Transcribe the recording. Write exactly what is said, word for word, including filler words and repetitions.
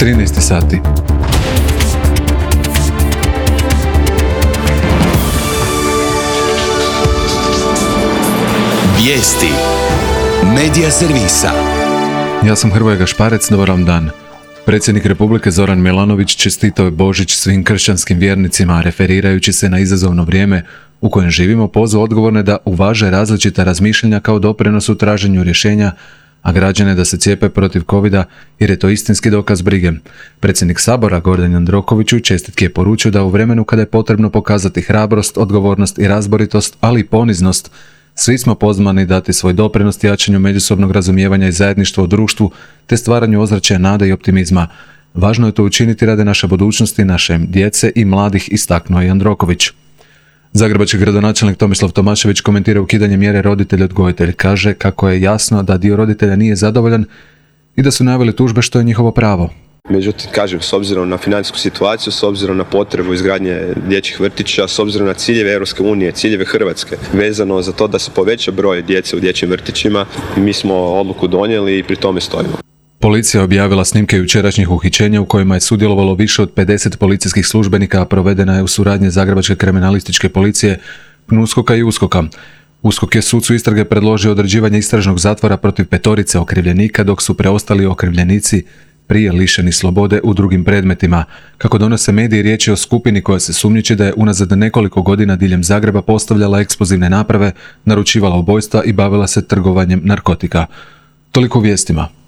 trinaest sati. Vijesti Medija servisa. Ja sam Hrvoje Gašparec, dobar vam dan. Predsjednik Republike Zoran Milanović čestitao je Božić svim kršćanskim vjernicima, referirajući se na izazovno vrijeme u kojem živimo, pozvao odgovorne da uvaže različita razmišljanja kao doprinos u traženju rješenja, a građane da se cijepe protiv covida jer je to istinski dokaz brige. Predsjednik Sabora Gordan Jandroković u čestitki je poručio da u vremenu kada je potrebno pokazati hrabrost, odgovornost i razboritost, ali i poniznost, svi smo pozvani dati svoj doprinos jačanju međusobnog razumijevanja i zajedništva u društvu te stvaranju ozračja nade i optimizma. Važno je to učiniti radi naše budućnosti, naše djece i mladih, istaknuo je Jandroković. Zagrebački gradonačelnik Tomislav Tomašević komentira ukidanje mjere roditelj-odgojitelj. Kaže kako je jasno da dio roditelja nije zadovoljan i da su najavili tužbe, što je njihovo pravo. Međutim, kažem, s obzirom na financijsku situaciju, s obzirom na potrebu izgradnje dječjih vrtića, s obzirom na ciljeve Europske unije, ciljeve Hrvatske, vezano za to da se poveća broj djece u dječjim vrtićima, mi smo odluku donijeli i pri tome stojimo. Policija je objavila snimke jučerašnjih uhićenja u kojima je sudjelovalo više od pedeset policijskih službenika, a provedena je u suradnji Zagrebačke kriminalističke policije, PNUSKOK-a i USKOK-a. USKOK je sucu istrage predložio određivanje istražnog zatvora protiv petorice okrivljenika, dok su preostali okrivljenici prije lišeni slobode u drugim predmetima. Kako donose mediji, riječ je o skupini koja se sumnjiči da je unazad nekoliko godina diljem Zagreba postavljala eksplozivne naprave, naručivala ubojstva i bavila se trgovanjem narkotika. Toliko u vijestima.